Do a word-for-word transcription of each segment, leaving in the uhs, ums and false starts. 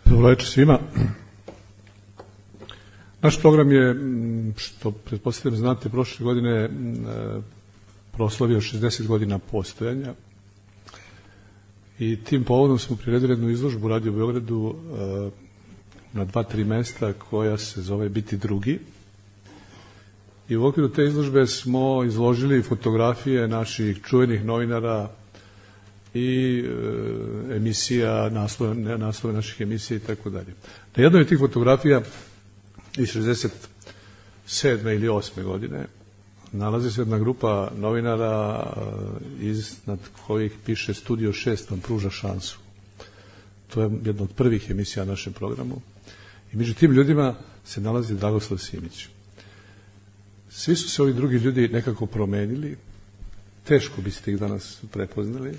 Dobro večer svima. Naš program je, što pretpostavljam znate, prošle godine proslavio šezdeset godina postojanja i tim povodom smo priredili jednu izložbu u Radio Beogradu na dva, tri mesta koja se zove Biti drugi. I u okviru te izložbe smo izložili fotografije naših čuvenih novinara i e, emisija, naslove, naslove naših emisija i tako dalje. Na jednoj od tih fotografija iz šezdeset sedme ili osme godine nalazi se jedna grupa novinara iznad kojih piše Studio šest vam pruža šansu. To je jedna od prvih emisija na našem programu. I među tim ljudima se nalazi Dragoslav Simić. Svi su se ovi drugi ljudi nekako promenili, teško biste ih danas prepoznali.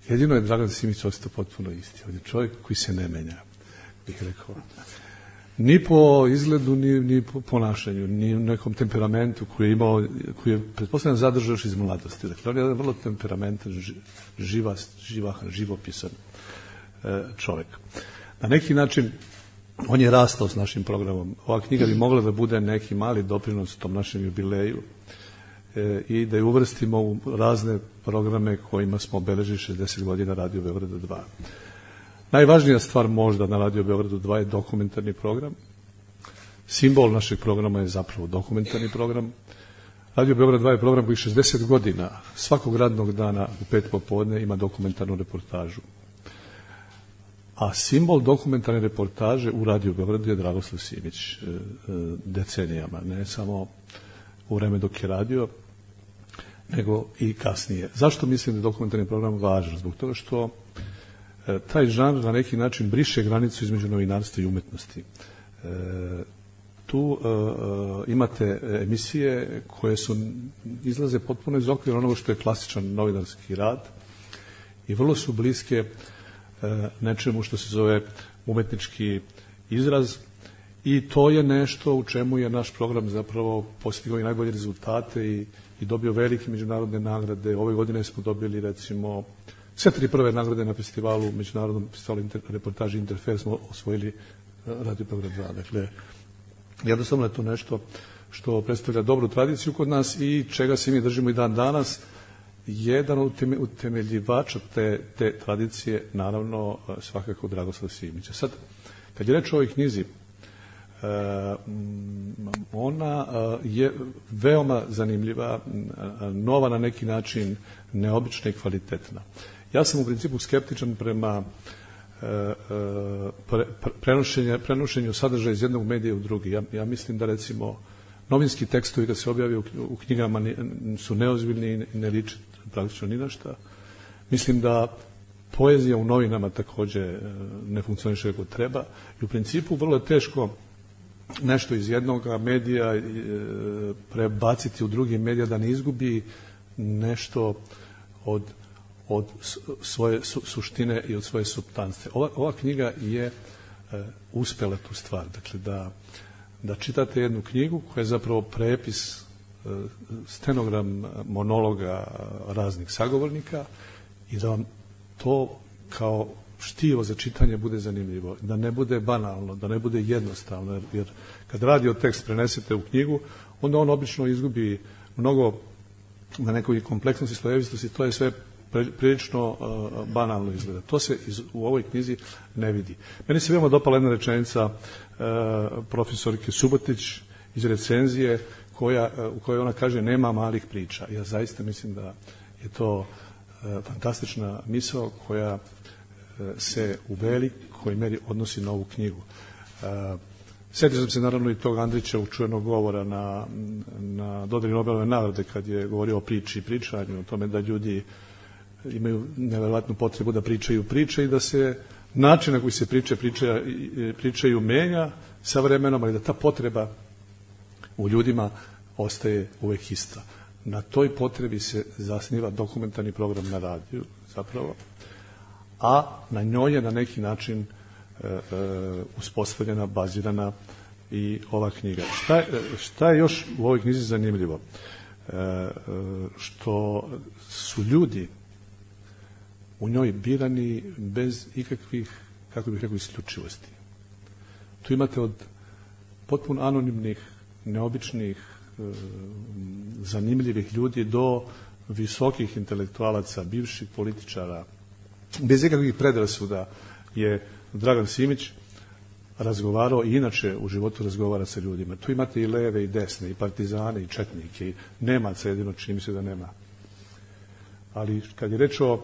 Jedino je Dragan Simić ostao potpuno isti. On je čovjek koji se ne menja, bih rekao. Ni po izgledu, ni, ni po ponašanju, ni u nekom temperamentu koji je imao, koji je pretpostavljam zadržao još iz mladosti. Dakle, on je jedan vrlo temperamentan, živa, živahan, živopisan e, čovjek. Na neki način on je rastao s našim programom. Ova knjiga bi mogla da bude neki mali doprinos tom našem jubileju e, i da je uvrstimo u razne programe kojima smo obeležili šezdeset godina Radio Beograda dva. Najvažnija stvar možda na Radio Beogradu dva je dokumentarni program. Simbol našeg programa je zapravo dokumentarni program. Radio Beograd dva je program koji šezdeset godina svakog radnog dana u pet popodne ima dokumentarnu reportažu. A simbol dokumentarne reportaže u Radio Beogradu je Dragoslav Simić decenijama, ne samo u vreme dok je radio, nego i kasnije. Zašto mislim da je dokumentarni program važan? Zbog toga što taj žanr na neki način briše granicu između novinarstva i umetnosti. E, tu e, imate emisije koje su izlaze potpuno iz okvira onoga što je klasičan novinarski rad i vrlo su bliske e, nečemu što se zove umetnički izraz i to je nešto u čemu je naš program zapravo postigao i najbolje rezultate i, i dobio velike međunarodne nagrade. Ove godine smo dobili recimo sve tri prve nagrade na festivalu, međunarodnom festivalu inter, reportaži Interfer smo osvojili Radio Beograd dva. Dakle, jednostavno je to nešto što predstavlja dobru tradiciju kod nas i čega se mi držimo i dan danas. Jedan od utemeljivača te, te tradicije, naravno, svakako Dragoslav Simić. Sad, kad je reč o ovoj knjizi, ona je veoma zanimljiva, nova na neki način, neobična i kvalitetna. Ja sam u principu skeptičan prema pre, prenošenju, prenošenju sadržaja iz jednog medija u drugi. Ja, ja mislim da recimo novinski tekstovi kad se objavljaju u, u knjigama su neozbiljni i ne liče praktično ni na šta. Mislim da poezija u novinama takođe ne funkcioniše kako treba i u principu vrlo je teško nešto iz jednog medija prebaciti u drugi medija da ne izgubi nešto od od svoje su, suštine i od svoje supstance. Ova, ova knjiga je e, uspela tu stvar. Dakle, da, da čitate jednu knjigu koja je zapravo prepis, e, stenogram monologa raznih sagovornika i da vam to kao štivo za čitanje bude zanimljivo. Da ne bude banalno, da ne bude jednostavno. Jer, jer kad radio tekst prenesete u knjigu, onda on obično izgubi mnogo na nekoj kompleksnosti, slojevitosti. To je sve prilično uh, banalno izgleda. To se iz, u ovoj knjizi ne vidi. Meni se veoma dopala jedna rečenica uh, profesorke Subotić iz recenzije koja, uh, u kojoj ona kaže nema malih priča. Ja zaista mislim da je to uh, fantastična misao koja uh, se u velikoj meri odnosi na ovu knjigu. Uh, Sjetio sam se naravno i tog Andrića čuvenog govora na, na dodeli Nobelove nagrade kad je govorio o priči i pričanju, o tome da ljudi imaju neverovatnu potrebu da pričaju priče i da se način na koji se priče, priče pričaju menja sa vremenom, ali da ta potreba u ljudima ostaje uvek ista. Na toj potrebi se zasniva dokumentarni program na radiju zapravo, a na njoj je na neki način e, e, uspostavljena, bazirana i ova knjiga. Šta je, šta je još u ovoj knjizi zanimljivo? E, e, što su ljudi u njoj birani bez ikakvih kako bih rekao, isključivosti. Tu imate od potpuno anonimnih, neobičnih, zanimljivih ljudi do visokih intelektualaca, bivših političara. Bez ikakvih predrasuda je Dragan Simić razgovarao i inače u životu razgovara sa ljudima. Tu imate i leve i desne, i partizane, i četnike, i Nemaca jedino, čini mi se da nema. Ali kad je reč o,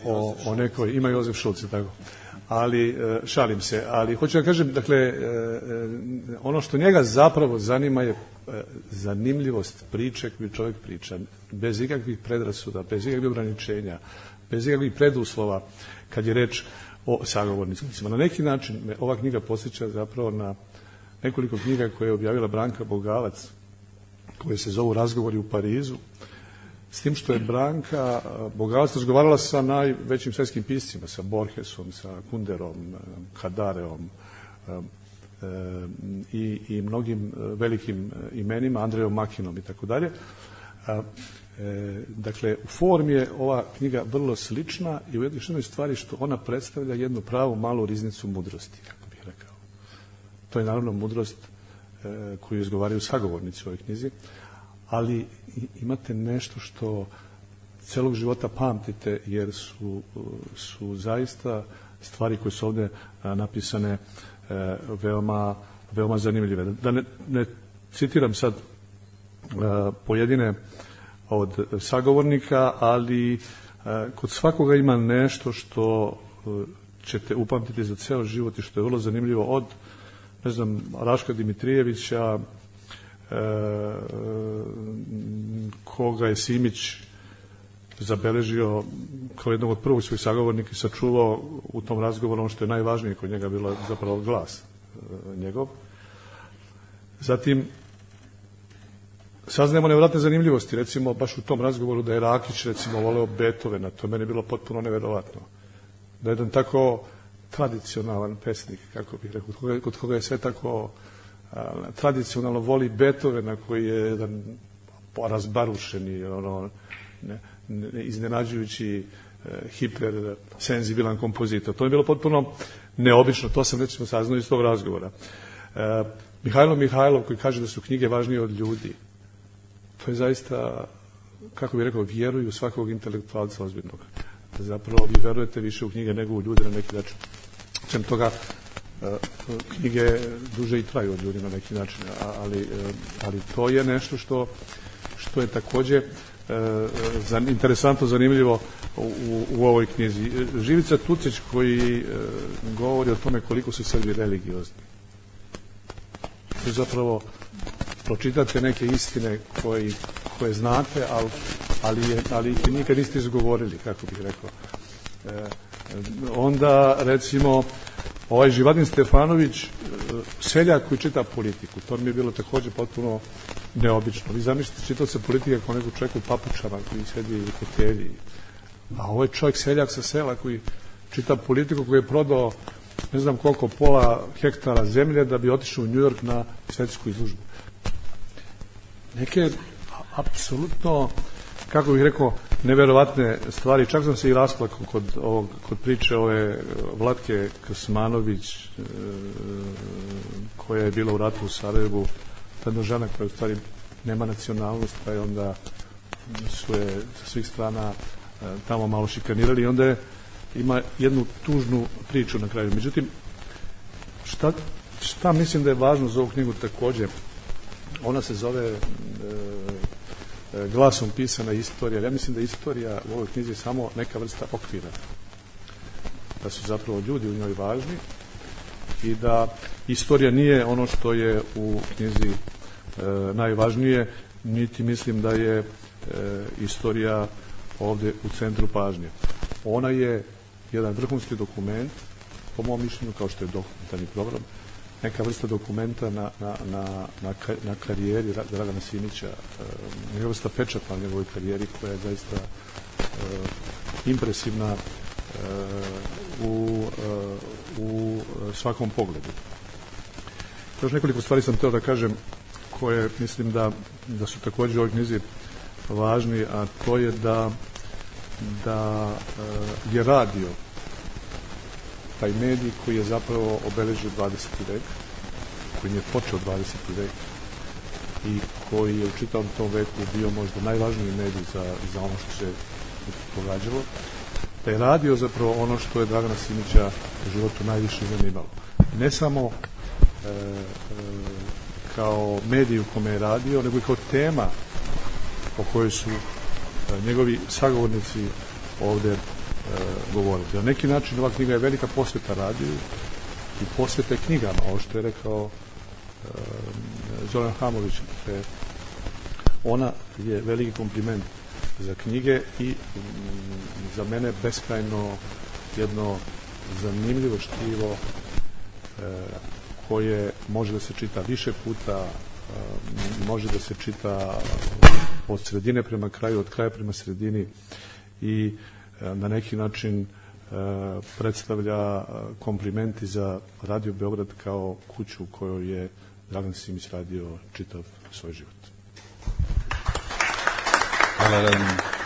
o, o nekoj, ima Jozef Šulc, tako, ali šalim se, ali hoću da kažem, dakle, ono što njega zapravo zanima je zanimljivost priče koju čovjek priča, bez ikakvih predrasuda, bez ikakvih ograničenja, bez ikakvih preduslova, kad je reč o sagovornicima. Na neki način me ova knjiga podsjeća zapravo na nekoliko knjiga koje je objavila Branka Bogavac, koje se zovu Razgovori u Parizu, s tim što je Branka Bogavac razgovarala sa najvećim svjetskim piscima, sa Borgesom, sa Kunderom, Hadareom i, i mnogim velikim imenima, Andrejom Makinom i tako dalje. Dakle, u formi je ova knjiga vrlo slična i u jednoj stvari što ona predstavlja jednu pravu malu riznicu mudrosti, kako bih rekao. To je naravno mudrost koju izgovaraju sagovornici u ovoj knjizi, ali imate nešto što celog života pamtite, jer su, su zaista stvari koje su ovdje napisane veoma, veoma zanimljive. Da ne, ne citiram sad pojedine od sagovornika, ali kod svakoga ima nešto što ćete upamtiti za ceo život i što je vrlo zanimljivo, od, ne znam, Raška Dimitrijevića, koga je Simić zabeležio kao jednog od prvog svojih sagovornika i sačuvao u tom razgovoru ono što je najvažnije kod njega bilo zapravo glas njegov. Zatim saznajemo nevjerojatne zanimljivosti, recimo baš u tom razgovoru da je Rakić recimo voleo Beethovena, to je meni bilo potpuno neverovatno. Da je jedan tako tradicionalan pesnik, kako bih rekao, kod koga, kod koga je sve tako a, tradicionalno voli Beethovena, koji je jedan razbarušeni, ono, ne, ne, iznenađujući e, hiper senzibilan kompozitor. To je bilo potpuno neobično, to sam recimo saznao iz tog razgovora. E, Mihajlo Mihajlov koji kaže da su knjige važnije od ljudi. To je zaista, kako bih rekao, vjeruju svakog intelektualca ozbiljnog. Zapravo vi verujete više u knjige nego u ljude na neki način. Čem toga, knjige duže i traju od ljudi na neki način, ali, ali to je nešto što, što je takođe interesantno, zanimljivo u, u ovoj knjizi. Živica Tucić koji govori o tome koliko su Srbi religiozni. To je zapravo pročitate neke istine koji, koje znate, ali, ali, je, ali ih nikad niste izgovorili, kako bih rekao. E, onda, recimo, ovaj Živadin Stefanović, seljak koji čita politiku, to mi je bilo takođe potpuno neobično. Vi zamislite, čitao se politika kao nekog čovjeka u papučama koji sedi u fotelji. A ovo je čovjek seljak sa sela koji čita politiku, koji je prodao ne znam koliko, pola hektara zemlje da bi otišao u New York na svetsku izložbu. Neke apsolutno, kako bih rekao, neverovatne stvari. Čak sam se i rasplakao kod, ovog, kod priče ove Vlatke Krsmanović, e, koja je bila u ratu u Sarajevu. Jedna žena koja u stvari nema nacionalnost, pa je onda su je sa svih strana e, tamo malo šikanirali i onda je, ima jednu tužnu priču na kraju. Međutim, šta, šta mislim da je važno za ovu knjigu takođe? Ona se zove e, glasom pisana istorija. Ja mislim da je istorija u ovoj knjizi samo neka vrsta okvira. Da su zapravo ljudi u njoj važni i da istorija nije ono što je u knjizi e, najvažnije, niti mislim da je e, istorija ovde u centru pažnje. Ona je jedan vrhunski dokument, po mom mišljenju, kao što je dokumentarni program, neka vrsta dokumenta na, na, na, na, na karijeri Dragana Simića, neka vrsta pečata na njegovoj karijeri koja je zaista uh, impresivna uh, u, uh, u svakom pogledu. Još nekoliko stvari sam hteo da kažem koje mislim da, da su takođe u ovoj knjizi važni, a to je da, da uh, je radio taj medij koji je zapravo obeležio dvadeseti vek, koji je počeo dvadeseti vek i koji je u čitavom tom veku bio možda najvažniji medij za, za ono što se događalo, da je radio zapravo ono što je Dragana Simića u životu najviše zanimalo. Ne samo e, e, kao medij u kome je radio, nego i kao tema o kojoj su e, njegovi sagovornici ovde e, govorili. Na neki način ova knjiga je velika posveta radiju i posveta knjigama, ovo što je rekao e, Zoran Hamović. E, ona je veliki kompliment za knjige i m, za mene beskrajno jedno zanimljivo štivo e, koje može da se čita više puta, e, može da se čita od sredine prema kraju, od kraja prema sredini i e, na neki način e, predstavlja komplimenti za Radio Beograd kao kuću u kojoj je Dragan Simić radio čitav svoj život. Hvala vam.